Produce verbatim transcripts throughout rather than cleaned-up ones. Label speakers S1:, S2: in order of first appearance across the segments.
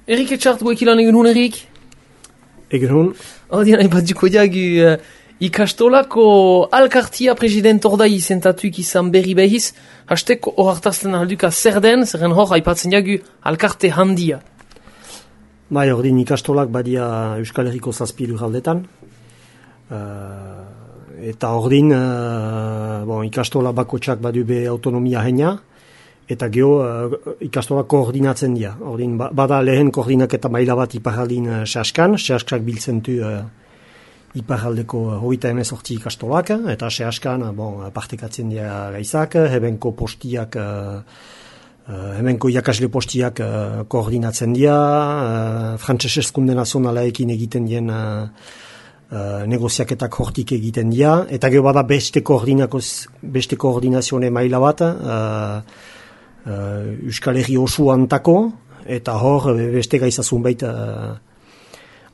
S1: Erik etxart guekilan egun hun, Erik?
S2: Egun hun.
S1: Ordien, hain bat duko diagu uh, ikastolako alkartia president ordai izentatuik izan berri behiz, hastek hor hartazten alduka zer den, zerren hor haipatzen diagu alkarte handia.
S2: Bai, ordin ikastolak badia Euskal Herriko zazpi lurraldetan. Uh, eta ordin uh, bon, ikastola bakotxak badu be autonomia heina, eta geho uh, ikastola koordinatzen dira. Ordin, bada lehen koordinaketa maila bat iparaldin uh, sehaskan, sehaskak biltzen du uh, iparaldeko uh, hogeita emezortzi ikastolak, eta sehaskan uh, bon, partekatzen dira gaizak, hebenko postiak, uh, uh, hemenko irakasle postiak uh, koordinatzen dira, uh, frantses eskunde nazionalaekin egiten dien uh, uh, negoziaketak hortik egiten dira, eta geho bada beste, beste koordinazione maila bat, uh, Uh, Euskal Herri osu antako, eta hor beste gaizazun baita uh,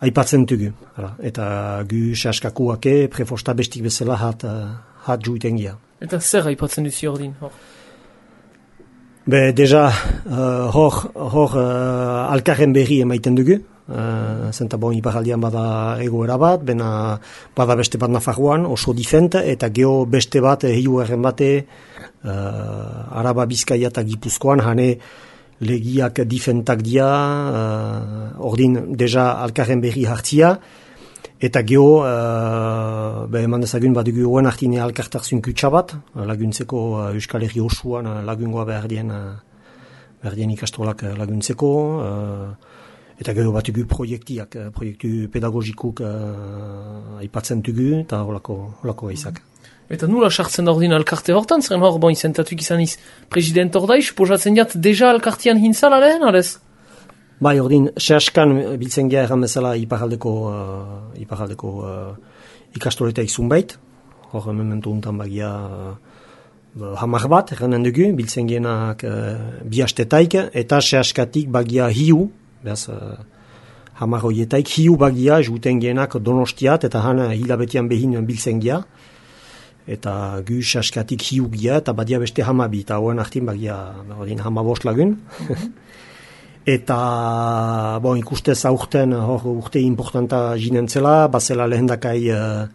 S2: aipatzen dugu. Hala. Eta gu sehaskakuake prefosta bestik bezala hat, uh, hat juiten gira.
S1: Eta zer aipatzen duzi ordin? Hor?
S2: Be, deja, uh, hor, hor uh, alkarren berri emaiten dugu. Uh, zenta bon, iparaldian bada egoera bat, bena bada beste bat Nafarroan, oso difent, eta geho beste bat, hiu erren bate, Uh, Araba, Bizkaia eta Gipuzkoan, hane legiak difentak dia, uh, ordin deja alkarren berri hartzia, eta geho, uh, be, eman dezagun badugu hoen hartine alkartarzun kutsa bat, laguntzeko uh, Euskal Herri osuan uh, lagungoa behar dien, uh, behar dien ikastolak uh, laguntzeko, uh, eta geho batugu proiektiak, uh, proiektu pedagogikuk uh, aipatzen dugu, eta holako, holako gaizak.
S1: Eta nula sartzen da ordin alkarte hortan, zeren hor, bon, izentatuik izan iz president ordai, suposatzen diat deja alkartian hintzala lehen, arez?
S2: Bai, ordin, sehaskan biltzen gira erran bezala iparaldeko, uh, iparaldeko uh, ikastoleta izun bait, hor momentu untan bagia uh, hamar bat, erranen dugu, biltzen gienak uh, bi hastetaik, eta sehaskatik bagia hiu, behaz, uh, hamar hoietaik, hiu bagia, juten gienak Donostiat, eta han hilabetian behin biltzen gira, eta gu sehaskatik hiu gira, eta badia beste hamabi, eta hoen artin bagia hama bost lagun. Eta, bon, ikustez aurten, hor urte importanta jinentzela, bazela lehendakai uh,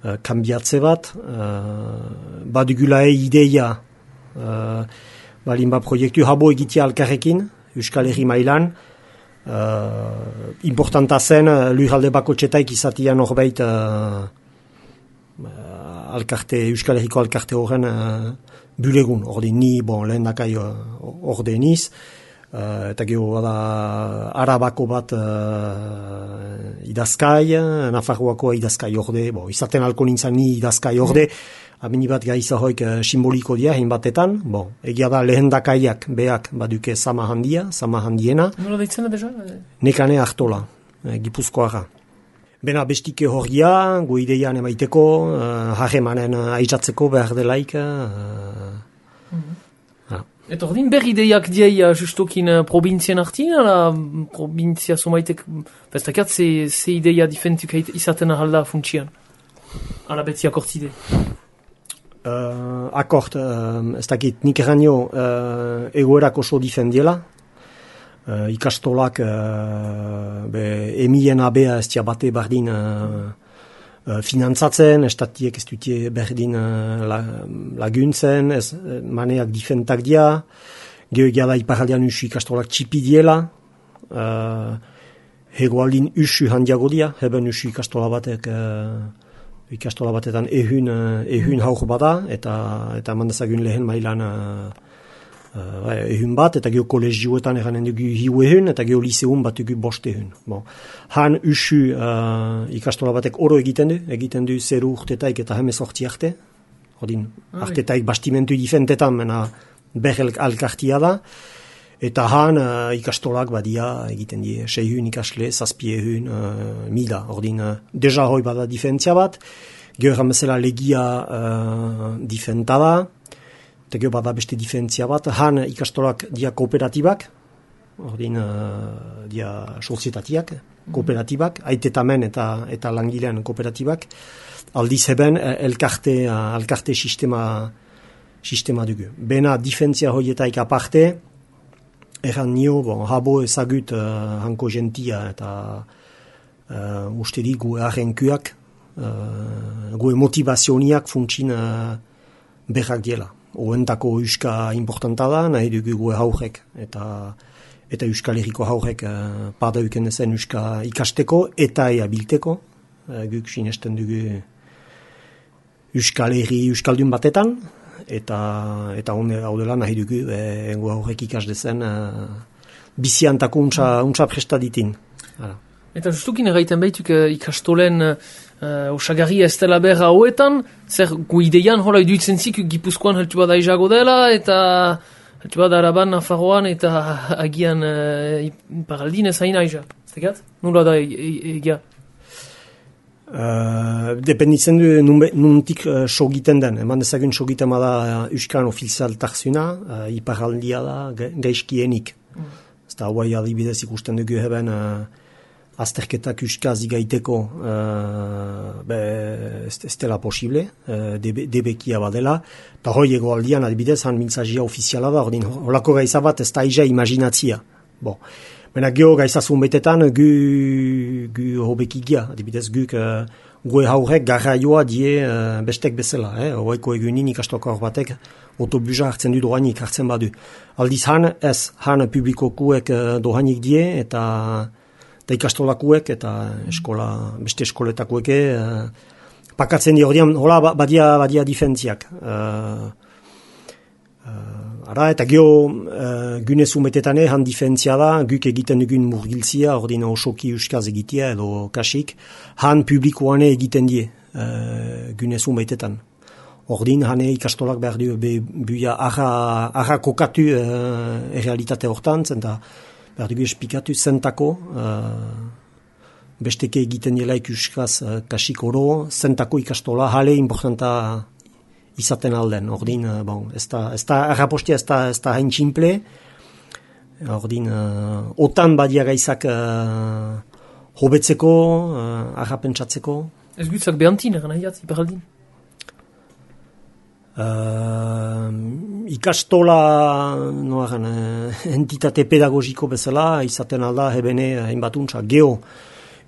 S2: uh, kambiatze bat, uh, badugulae ideia, uh, balin ba proiektu habo egitea alkarrekin, Euskal Herri mailan, uh, importanta zen, lurralde bakotxetaik izatian horbait, uh, alkarte, Euskal Herriko alkarte horren uh, bulegun, ordin ni, bon, lehen dakai uh, orde niz, uh, eta geho da Arabako bat uh, idazkai, Nafarroako idazkai orde, bon, izaten alko nintzen ni idazkai orde, mm. amini bat gaiza hoik uh, simboliko dia, hein batetan, bon, egia da lehen dakaiak beak baduke sama handia, sama handiena.
S1: Nola deitzena deja?
S2: Nekane hartola, eh, Gipuzkoara. Bena bestike horria, gu ideian emaiteko, uh, harremanen uh, aizatzeko behar delaik. Uh,
S1: mm-hmm. Eta ordin berri ideiak diai justokin uh, provintzien artin, ala provintzia somaitek, bestakat ze, ze ideia difentuk izaten ahalda funtsian? Ala betzi akortide?
S2: Uh, akort, uh, ez dakit nik eranio uh, egoerak oso difendiela. Uh, ikastolak uh, be, emien abea ez bate bardin uh, uh, finantzatzen, estatiek ez dutie berdin uh, la, laguntzen, ez maneak difentak dia, gehoegia da iparaldean usu ikastolak txipi diela, uh, hegoaldin usu handiago dia, heben usu ikastola batek, uh, ikastola batetan ehun, uh, ehun haur bada, eta, eta mandazagun lehen mailan uh, Uh, ehun bat, eta geho kolegioetan eranen dugu hiu ehun, eta geho liseun bat dugu bost ehun. Bon. Han usu uh, ikastola batek oro egiten du, egiten du zeru urtetaik eta hemez hortzi arte. Hodin, ah, artetaik bastimentu difentetan, mena behel alkartia da. Eta han uh, ikastolak badia egiten die, seihun ikasle, zazpi ehun, uh, mila. Ordin, uh, deja hoi bada difentzia bat, geho ramezela legia uh, difentada, eta geho bada beste difentzia bat, han ikastolak dia kooperatibak, ordin uh, dia sozietatiak, kooperatibak, aitetamen eta eta langilean kooperatibak, aldiz heben elkarte, elkarte sistema, sistema dugu. Bena difentzia horietaik aparte, erran nio, bon, habo ezagut uh, hanko gentia eta uh, uste di gu arrenkuak, uh, gu motivazioniak funtsin uh, berrak diela. Oentako euska importanta da, nahi dugu gu haurek eta eta Euskal Herriko haurek uh, padauken ezen euska ikasteko eta ea bilteko. Uh, guk sinesten dugu Euskal Herri Euskaldun batetan, eta eta honde hau dela nahi dugu e, gu haurek ikas dezen uh, biziantako untsa, untsa prestaditin. Hala.
S1: Eta justukin erraiten behituk uh, ikastolen uh, osagarria ez dela berra hauetan, zer gu ideian hola iduitzen zik Gipuzkoan heltu bada izago dela, eta heltu bada Araban, Nafarroan, eta agian uh, paraldin ez hain aiza. Zekat? Nula da egia?
S2: Uh, dependitzen du nuntik uh, sogiten den. Eman dezagun sogiten bada uh, Euskan ofizial tarzuna, uh, iparaldia da gaizkienik. Mm. Zta hauai adibidez ikusten dugu heben uh, azterketak Euskaz igaiteko uh, be, ez dela posible, uh, debe, debekia badela. Eta hoi ego aldian adibidez han mintzazia ofiziala da, ordin holako gaiza bat ez da iza imaginatzia. Bon. Mena geho gaizazun betetan gu, gu hobekigia, adibidez guk uh, gue haurek garraioa die uh, bestek bezala. Eh? Oaiko egunin ikastoko hor batek autobusa hartzen du dohainik hartzen badu. Aldiz han ez, han publikokuek uh, dohainik die eta, eta ikastolakuek eta eskola, beste eskoletakueke uh, pakatzen die ordean, hola badia, badia difentziak. Uh, uh, Ara, eta geho uh, gunezu metetane han difentzia da, guk egiten dugun murgiltzia, ordin osoki euskaz egitea edo kasik, han publikoane egiten die uh, gunezu metetan. Ordin, hane ikastolak behar du, be, buia arra, arra kokatu uh, errealitate hortan, zenta behar dugu espikatu zentako, uh, besteke egiten dielaik euskaz uh, kasik oro, zentako ikastola, hale importanta izaten alden, ordin, bon, ez da, ez da, errapostia ez da, ez da hain tximple, ordin, uh, otan badia gaizak uh, hobetzeko, uh, arrapentsatzeko.
S1: Ez gutzak behantin, eran nahiat, iparaldin?
S2: Uh, ikastola, no eran, uh, entitate pedagogiko bezala, izaten alda, hebene, hainbat untsa, geho,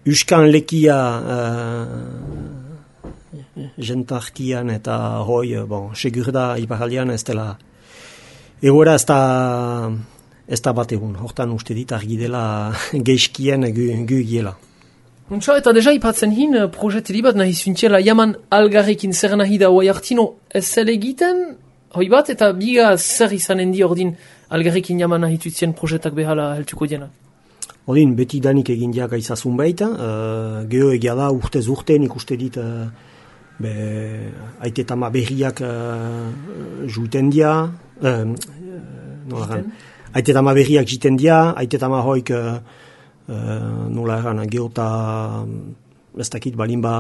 S2: Euskan lekia, uh, jentartian eta hoi, bon, segur da iparaldian ez dela egoera ez da ez da bat egun, hortan uste dit argi dela geizkien gu, gu giela.
S1: Untsa, eta deja ipatzen hin, projeteli bat nahi zuntxela jaman algarrekin zer nahi da hoi hartino ez zel egiten, hoi bat, eta biga zer izanen di ordin algarrekin jaman nahi tuitzien projetak behala heltuko diena.
S2: Ordin, beti danik egin diak aizazun baita, uh, geho egia da urtez urte nik uste dit uh, be, aite tama berriak uh, juiten dia, uh, no aite tama berriak jiten dia, aite tama hoik uh, uh, nola erran, geota ez dakit balin ba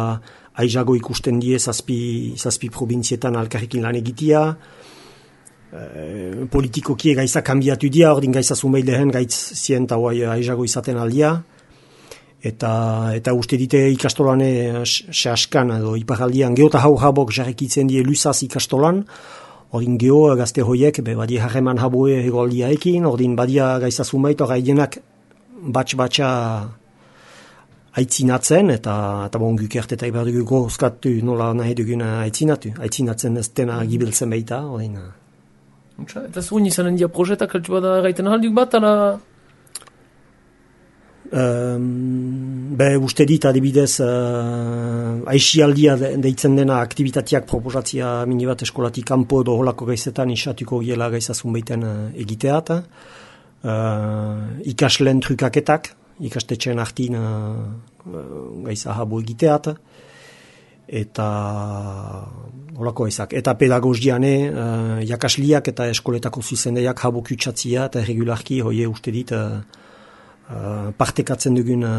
S2: aizago ikusten die zazpi, zazpi provinzietan alkarrekin lan egitia, uh, politikokie gaiza kanbiatu dia, ordin gaiza zumeilehen gaitz zien eta hoai aizago izaten aldia, eta eta uste dite ikastolane sehaskan edo iparaldian geota hau habok jarrekitzen die luzaz ikastolan, ordin geho gazte hoiek be badia harreman haboe hegoldiaekin, ordin badia gaiza zumeit hor haienak batx-batxa aitzinatzen, eta, eta bon guk ertetak behar dugu gozkatu nola nahi duguna aitzinatu, aitzinatzen ez dena gibeltzen baita, ordin.
S1: Eta zuen izanen dia projetak altu bada gaiten ahalduk bat, ala...
S2: Um, be uste dit adibidez uh, aixialdia de, deitzen dena aktivitateak proposatzia minibat eskolatik kanpo edo holako gaizetan isatuko giela gaizazun baiten uh, egiteat, uh, ikasleen trukaketak, ikastetxeen hartin uh, gaiza habo egiteat, eta holako gaizak. Eta pedagogiane uh, jakasliak eta eskoletako zuzendeiak habo kutsatzia eta regularki hoie uste dit uh, Uh, partekatzen dugun uh,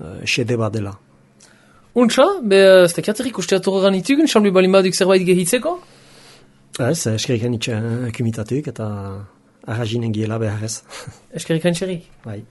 S2: uh, xede bat dela.
S1: Untsa, be, ez tekiaterik usteatorra ganitugun, xalbi balin baduk zerbait gehitzeko?
S2: Ez, eskerik hanitxe uh, kumitatuk eta arrazinen giela behar ez.
S1: Eskerik hanitxerik?
S2: Bai.